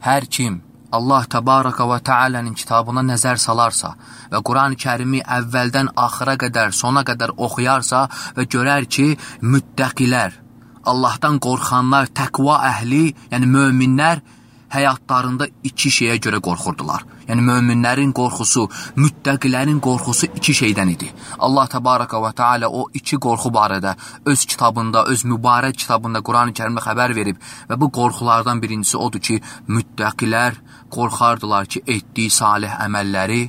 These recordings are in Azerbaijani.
hər kim Allah Təbaraka və Teala'nın kitabına nəzər salarsa və Quran-ı Kərimi əvvəldən axıra qədər, sona qədər oxuyarsa və görər ki, müttəqilər, Allahdan qorxanlar, təqva əhli, yəni möminlər həyatlarında iki şeyə görə qorxurdular. Yəni möminlərin qorxusu, müttəqilərin qorxusu iki şeydən idi. Allah Təbaraka və Teala o iki qorxu barədə öz kitabında, öz mübarək kitabında Quran-ı Kərimdə xəbər verib və bu qorxulardan birincisi odur ki, müttəqilər qorxardılar ki, etdiyi salih əməlləri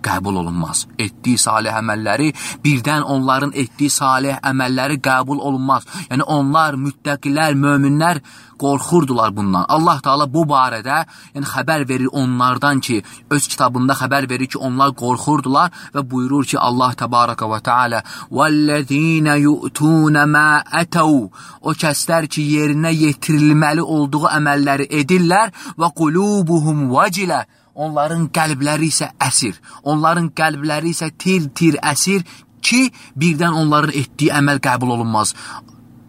qəbul olunmaz. Etdiyi salih əməlləri, birdən onların etdiyi salih əməlləri qəbul olunmaz. Yəni onlar, müttəqilər, möminlər qorxurdular bundan. Allah Teala bu barədə xəbər verir onlardan ki, öz kitabında xəbər verir ki, onlar qorxurdular və buyurur ki, Allah Təbaraka və Teala وَالَّذِينَ يُؤْتُونَ مَا أَتَوْا O kəslər ki, yerinə yetirilməli olduğu əməlləri edirlər və قُلُوبُهُمْ وَجِلَ Onların qəlbləri isə əsir. Onların qəlbləri isə tir-tir əsir ki, birdən onların etdiyi əməl qəbul olunmaz.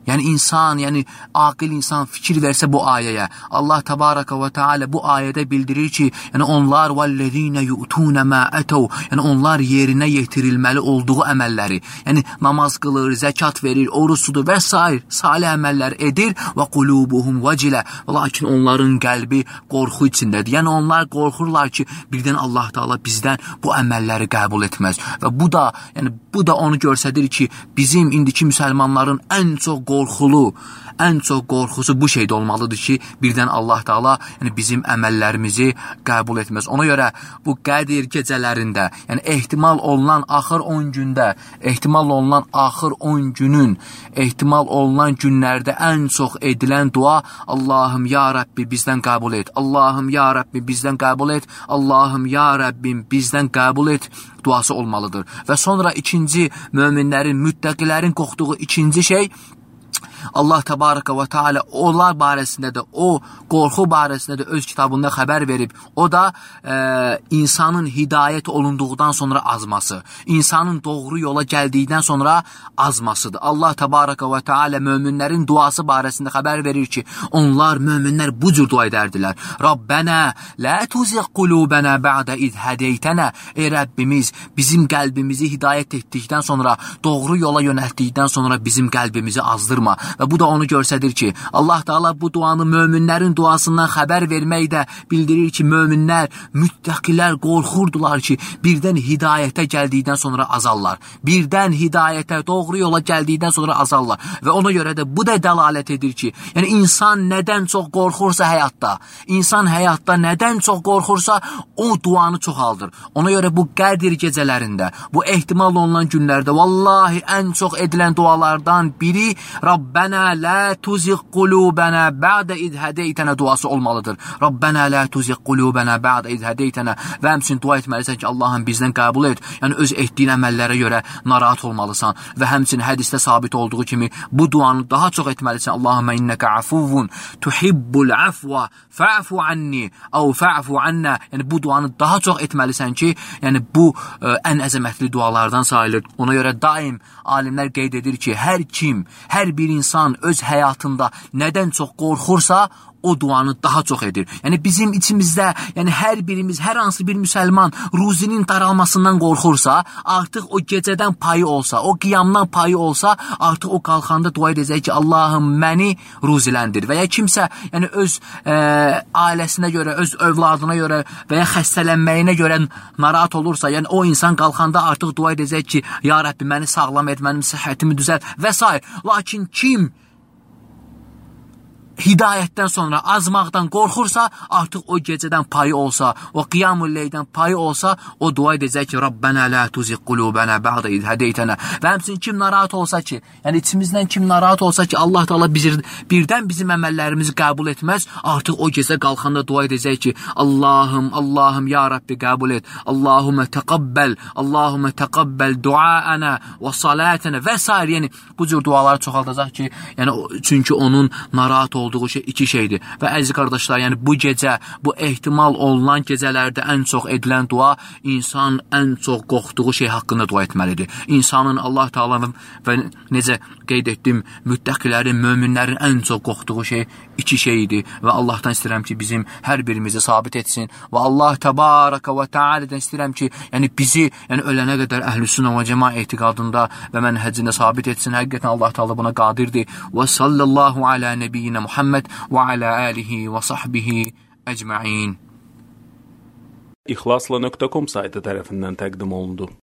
Yəni insan, yəni aqil insan fikir versə bu ayəyə, Allah Təbaraka və Teala bu ayədə bildirir ki, yəni onlar وَالَّذِينَ يُؤْتُونَ مَا أَتَوْا Yəni onlar yerinə yetirilməli olduğu əməlləri, yəni namaz qılır, zəkat verir, oruç tutur və s. salih əməllər edir və qulubuhum vecilə lakin onların qəlbi qorxu içindədir. Yəni onlar qorxurlar ki, birdən Allah Teala bizdən bu əməlləri qəbul etməz. Və bu da onu göstərir ki, bizim indiki müsəlmanların ən çox qorxusu bu şeydə olmalıdır ki, birdən Allah Teala bizim əməllərimizi qəbul etməz. Ona görə bu Qədir gecələrində, yəni ehtimal olunan axır 10 gündə, ehtimal olunan axır 10 günün, ehtimal olunan günlərdə ən çox edilən dua Allahım ya Rəbbi bizdən qəbul et, Allahım ya Rəbbi bizdən qəbul et, Allahım ya Rəbbim bizdən qəbul et duası olmalıdır. Və sonra ikinci möminlərin, müttəqilərin qorxduğu ikinci şey Allah Təbaraka və Teala onlar barəsində də, o qorxu barəsində də öz kitabında xəbər verib. O da insanın hidayət olunduqdan sonra azması, insanın doğru yola gəldikdən sonra azmasıdır. Allah Təbaraka və Teala möminlərin duası barəsində xəbər verir ki, onlar, möminlər bu cür dua edərdilər. Rabbənə, lə tuziq qulubənə bə'də iz hədeytənə Ey Rəbbimiz, bizim qəlbimizi hidayət etdikdən sonra, doğru yola yönəltdikdən sonra bizim qəlbimizi azdırma. Və bu da onu göstərir ki, Allah Teala bu duanı möminlərin duasından xəbər verməkdə bildirir ki, möminlər, müttəqilər qorxurdular ki, birdən hidayətə gəldikdən sonra azarlar. Birdən hidayətə, doğru yola gəldikdən sonra azarlar. Və ona görə də bu da dəlalət edir ki, yəni insan nədən çox qorxursa həyatda, insan həyatda nədən çox qorxursa, o duanı çoxaldır. Ona görə bu Qədir gecələrində, bu ehtimal olunan günlərdə, vallahi ən çox edilən dualardan biri Rabbənə lə tuziq qulubənə bə'də iz hədeytənə duası olmalıdır. Rabbənə lə tuziq qulubənə bə'də iz hədeytənə və həmçinin dua etməlisən ki, Allahım bizdən qəbul et. Yəni öz etdiyin əməllərə görə narahat olmalısan və həmçinin hədisdə sabit olduğu kimi bu duanı daha çox etməlisən. Allahümə innəkə afuvun tuhibbul afva fa'fu anni əv fa'fu anna. Yəni bu duanı daha çox etməlisən ki, yəni bu ən əzəmətli dualardan sayılır. Ona görə daim alimlər qeyd edir ki, hər bir insan öz həyatında nədən çox qorxursa, o duanı daha çox edir. Yəni bizim içimizdə, yəni hər birimiz, hər hansı bir müsəlman ruzinin daralmasından qorxursa, artıq o gecədən payı olsa, o qiyamdan payı olsa, artıq o qalxanda dua edəcək ki, Allahım məni ruziləndir. Və ya kimsə, yəni öz ailəsinə görə, öz övladına görə və ya xəstələnməyinə görə narahat olursa, yəni o insan qalxanda artıq dua edəcək ki, ya Rəbbi məni sağlam et, mənim səhhətimi düzəlt və s. Lakin kim hidayətdən sonra azmaqdan qorxursa, artıq o gecədən payı olsa, o qiyamul leydən payı olsa, o dua edəcək ki, Rabbənə lə tuziq qulubənə bə'də iz hədeytənə. Və həmçinin kim narahat olsa ki, yəni içimizdən kim narahat olsa ki, Allah Teala birdən bizim əməllərimizi qəbul etməz, artıq o gecə qalxanda dua edəcək ki, Allahım, ya Rabbi qəbul et, Allahumə təqabbəl duaənə və salətənə və s. Yəni bu cür duaları çoxaldacaq ki, yəni çünki onun narahat olduğu şey iki şeydir. Və əziz qardaşlar, yəni bu gecə, bu ehtimal olunan gecələrdə ən çox edilən dua insan ən çox qorxduğu şey haqqında dua etməlidir. İnsanın Allah Taala'nın və necə qeyd etdim, müttəqilərin, möminlərin ən çox qorxduğu şey iki şeydir və Allahdan istəyirəm ki, bizim hər birimizi sabit etsin və Allah Təbaraka və Teala'dan istəyirəm ki, yəni bizi, yəni ölənə qədər Əhlüsünnə və Cəmaa etiqadında və mənhəcində sabit etsin. Həqiqətən Allah Teala buna qadirdir. Və sallallahu ala nəbiyyinə Muhammed və ala alihi və sahbihi əcməin. İxlasla.com saytı tərəfindən təqdim olundu.